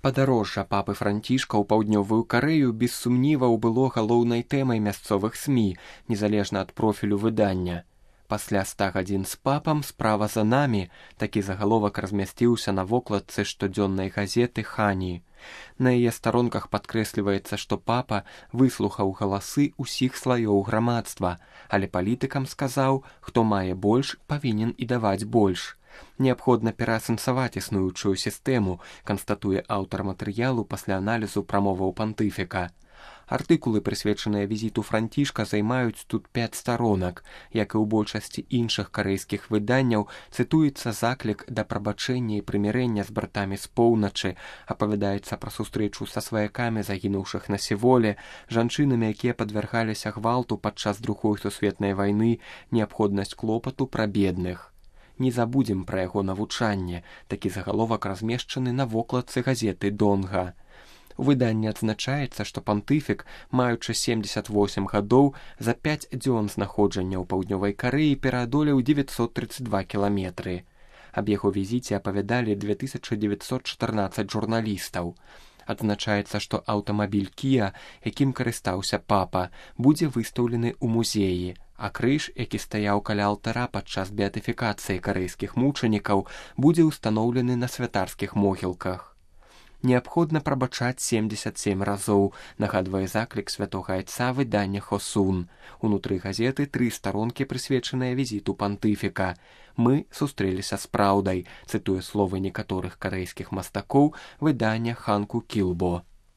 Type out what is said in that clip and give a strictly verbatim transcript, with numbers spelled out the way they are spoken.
Падарожжа папы Францішка ў паўднёвую Карэю без сумніваў было галоўнай тэмай мясцовых СМІ, незалежна ад профілю выдання. Пасля ста гадзін з папам справа за намі, такі загаловак размясціўся на вокладцы штодзённай газеты «Хані». На яе старонках падкрэсліваецца, што папа выслухаў галасы ўсіх слаёў грамадства, але палітыкам сказаў, хто мае больш, павінен і даваць больш. Неабходна пераасэнсаваць існуючую сістэму, канстатуе аўтар матэрыялу пасля аналізу прамоваў пантыфіка. Артыкулы, прысвечаныя візіту Францішка, займаюць тут пяць старонак. Як і ў большасці іншых карэйскіх выданняў, цытуецца заклік да прабачэння і прымірэння з братамі з поўначы, апавядаецца пра сустрэчу са сваякамі загінуўшых на Сіволе, жанчынамі, якія падвяргаліся гвалту падчас другой сусветнай вайны, неабходнасць клопату пра бедных. Не забудзем пра яго навучанне, такі загаловак размешчаны на вокладцы газеты «Донга». У выданні адзначаецца, што пантыфік, маючы семдзесят восем гадоў, за пяць дзён знаходжання ў паўднёвай Карэі пераадолеў дзевяцьсот трыццаць два кіламетры. Аб яго візіце апавядалі две тысячы дзевяцьсот чатырнаццаць журналістаў. Адзначаецца, што аўтамабіль Kia, якім карыстаўся папа, будзе выстаўлены ў музеі, а крыж, які стаяў каля алтара падчас беатыфікацыі карэйскіх мучанікаў, будзе ўстаноўлены на святарскіх могілках. Неабходна прабачаць семдзесят сем разоў, нагадвае заклік святога айца выдання «Хосун». Унутры газеты тры старонкі, прысвечаныя візіту пантыфіка. «Мы сустрэліся з праўдай», цытуе словы некаторых карэйскіх мастакоў выдання «Ханку Кілбо».